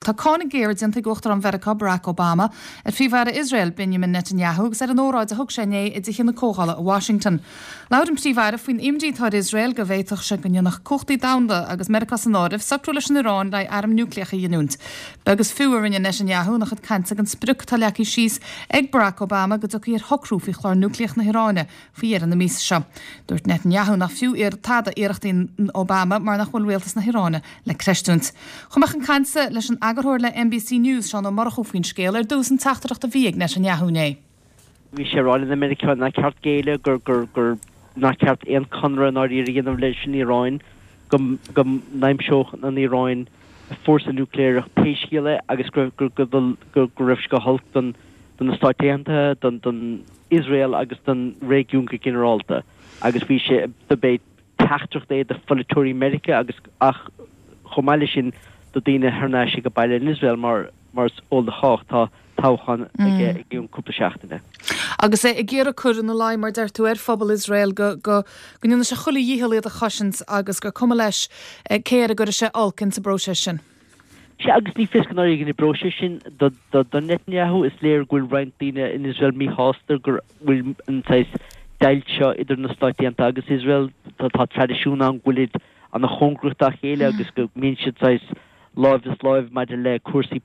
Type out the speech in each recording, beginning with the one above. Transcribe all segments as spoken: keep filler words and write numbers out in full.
Tá cáineadh géar déanta ag Uachtarán Mheiriceá Barack Obama ar Phríomh-Aire Iosrael Benjamin Netanyahu agus ar an óráid a thug sé inné i dTithe na Comhdhála i Washington. Labhair an Príomh-Aire faoin imní atá ar Iosrael go bhféadfadh sé go ndéanfadh cumhachtaí domhanda agus Meiriceá san áireamh socrú leis an Iaráin le airm núicléacha a ghiniúint. Beag is fiú a rinne Netanyahu ina chuid cainte den sprioc atá leagtha síos ag Barack Obama go dtiocfaí ar shocrú faoi chlár núicléach na hIaráine faoi dheireadh na míosa seo. Dúirt Netanyahu nach fiú tada iarrachtaí Obama mar nach bhfuil rialtas na hIaráine le creidiúint. Chuaigh mé chun cainte leis an eagarthóir le NBC News Seán Ó Murchú faoin scéal ar dtús an teachtaireacht a bhí ag Netanyahu inné. Bhí sé ag rá le na Meiriceánaigh nár cheart géilleadh gur gur gur nár cheart aon chonradh ná a dhéanamh leis an Iaráin go go n-aimseodh an Iaráin fórsa núicléach pé scéal é agus go go go go raibh sé go holc don don na Stáit Aontaithe don don Israel agus don réigiún go ginearálta agus bhí sé do b'é teachtaireacht é do pholaiteoirí Meiriceá agus ach chomh maith leis sin do daoine thar n-ais ag baile in Israel mar mar is eol do chách tá toghchán aige i gceann cúpla seachtaine. Agus é ag iarraidh cur ina luí mar deir tú ar phobal Israel go go go ndéanfaidh sé chuile dhícheall iad a chosaint agus gur cuma leis cé air a gcuirfidh sé olc insa bpróiseas sin. Sea agus ní fios go n-éireoidh an próiseas sin do do do Netanyahu is léir go bhfuil roinnt daoine in Israel míshásta go bhfuil an saghas deighilt seo idir na Stáit Aontaithe agus Israel tá tá traidisiún ann go bhfuilid an-chóngarach dá chéile agus go mbíonn siad saghas lámh is láimh maidir le cúrsaí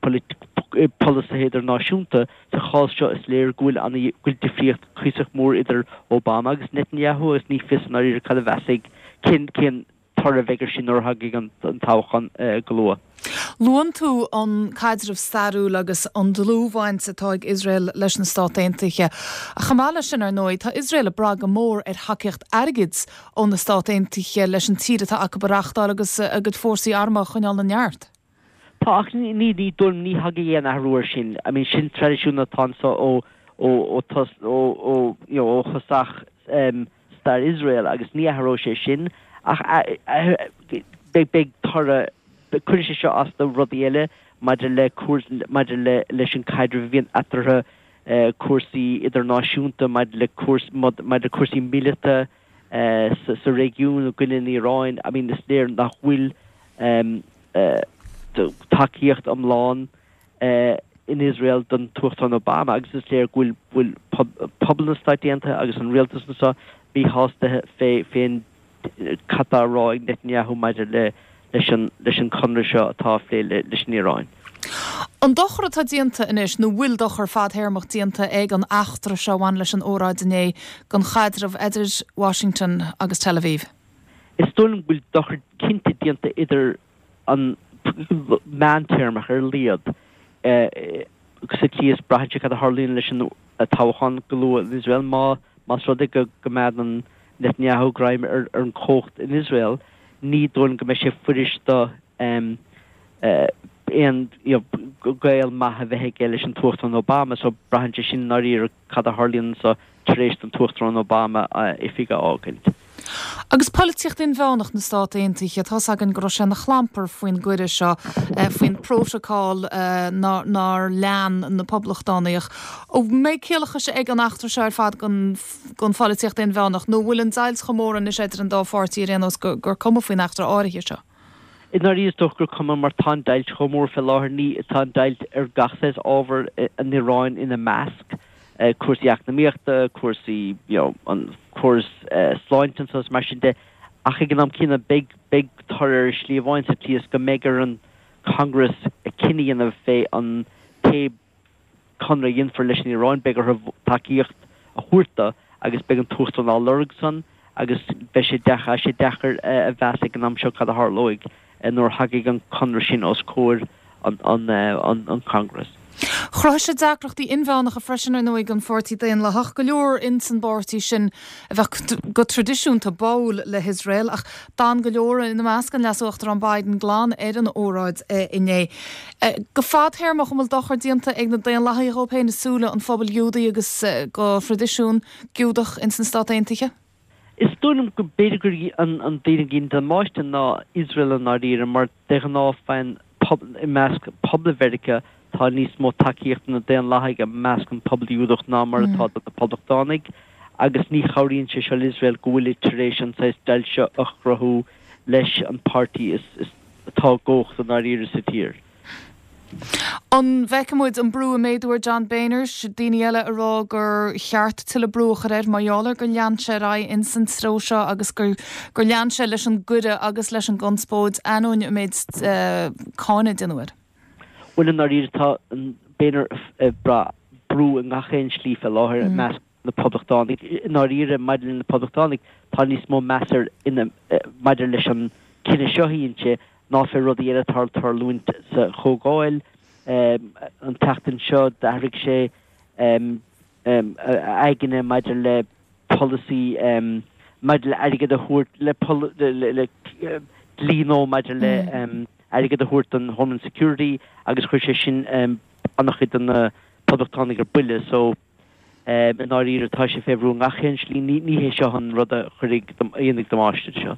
polasaithe idirnáisiúnta sa chás seo is léir go bhfuil an go bhfuil difríocht cuíosach mór idir Obama agus Netanyahu agus ní fios an ar cad a bheas cén cén toradh a bheidh air sin nuair a thagann an an toghchán go luath. Luann tú an caidreamh stairiúil agus an dlúthbhaint atá ag Iosrael leis na Stáit Aontaithe. Ach chomh maith leis sin ar ndóigh, tá Iosrael ag brath go mór ar thacaíocht airgid ó na Stáit Aontaithe leis an tír atá acu a reáchtáil agus a gcuid fórsaí armtha a choinneáil ina neart. Tá ach ní ní ní dul ní thagann aon athrú air sin. I mean sin traidisiún atá anso ó ó ó tos ó ó you know, ó thosach um, stair Israel agus ní athróidh sé sin ach beidh beidh toradh cuirfidh sé seo as do rudaí eile maidir le cúrs maidir le leis an caidreamh a bhíonn eatarthu uh, cúrsaí idirnáisiúnta maidir le cúrs maidir le cúrsaí míleata uh, sa, sa réigiún i gcoinne an Iaráin I mean is léir nach bhfuil um, uh, tacaíocht iomlán uh, in Israel don Uachtarán Obama agus is léir go bhfuil bhfuil pobal na Stáit Aontaithe agus an rialtas anseo míshásta fé fén cad tá á rá ag Netanyahu maidir le leis an leis an conradh seo atá á phlé leis an Iaráin. An dochar atá déanta anois nó bhfuil dochar fadtéarmach déanta ag an eachtra seo bhain leis an óráid inné don chaidreamh idir Washington agus Tel Aviv. Is dóigh liom go bhfuil dochar cinnte déanta idir an meántéarmach ar a laghad sa tslí is braitheann sé cad a tharlaíonn leis an toghchán go luath in Israel má más rud é go gcoimeádann Netanyahu greim ar ar an chumhacht in Israel ní dóigh go mbeidh sé fuirist do um, uh, aon gaol maith a bheith aige leis an Uachtarán Obama so braitheann sé sin ar cad a tharlaíonn so tar éis don Uachtarán Obama oifig a fhágaint. Agus polaitíocht inmheánach na Stát Aontaithe tá againn go raibh sé ina chlampar faoin gcuireadh seo faoin bprótacal nár lean na poblachtánaigh. An mbeidh ciallachas ag an eachtra seo ar fad don pholaitíocht inmheánach, nó bhfuil an deighilt chomh mór anois idir an dá pháirtí ar aon nós gur cuma faoin eachtra áirithe seo. I ndáiríre is dócha gur cuma mar tá an deighilt chomh mór fé láthair ní tá an deighilt ar gach saghas ábhar an Iaráin ina measc. cúrsaí eacnamaíochta, cúrsaí you know, an córas uh, sláinte agus mar sin de ach ag an am céanna beidh beidh toradh ar shlí amháin sa tslí is go mbeidh ar an Congress a cinneadh a dhéanamh fé an pé conradh a dhéanfar leis an Iaráin beidh orthu tacaíocht a thabhairt dó agus beidh an tUachtarán á lorg san agus beidh sé deacair sé deacair a mheas ag an am seo cad a tharlóidh nuair a thagann an conradh sin os comhair an an an an Congress. Chruthaigh sé deacrachtaí inmheánacha freisin ar ndóigh don Pháirtí Daonlathach go leor ins an bpáirtí sin a bheadh go traidisiúnta báúil le hIosrael ach d'fhan go leor ina measc an leas-uachtarán Biden glan ar an óráid inné. Go fadtéarmach an bhfuil dochar déanta ag na Daonlathaigh dóibh féin i súile an phobail Ghiúdaigh agus do thraidisiún Giúdach ins na Stáit Aontaithe? Is dóigh liom go b'fhéidir gur an an daoine a dhéanann damáiste ná Israel i ndáiríre mar de ghnáth faigheann i measc pobal Mheiriceá tá níos mó tacaíocht na Daonlathaigh i measc an pobal Giúdach ná mar atá do na Poblachtánaigh agus ní chabhraíonn sé seo Israel go bhfuil tar éis an saghas deighilt seo a chruthú leis an páirtí is, is atá i gcumhacht i ndáiríre sa tír. An bhfeicfidh muid an brú ag méadú ar John Boehner, daoine eile ag rá gur cheart tuilleadh brú a chur air mar gheall ar gur lean sé ar aghaidh ins an treo seo agus gur gur lean sé leis an gcuireadh agus leis an gconspóid ainneoin an méid cáineadh a déanadh air. Bhuel i ndáiríre tá an Boehner ag brath brú i ngach aon slí fé láthair i measc na poblachtánaigh. I ndáiríre maidir le na poblachtánaigh tá níos mó meas air maidir leis an cinneadh seo a dhein sé ná fé rudaí eile atá ag tarlúint sa Chomhdháil. An tseachtain seo d'athraigh sé a aigne maidir le polasaí maidir le airgead a thabhairt le dlí nua maidir le airgead a thabhairt don Homeland Security agus chuir sé sin an-chuid de na poblachtánaigh ar buile. So i ndáiríre tá sé fé bhrú i ngach aon slí. Ní hé seo an rud a chuirfidh a dhéanfaidh damáiste seo.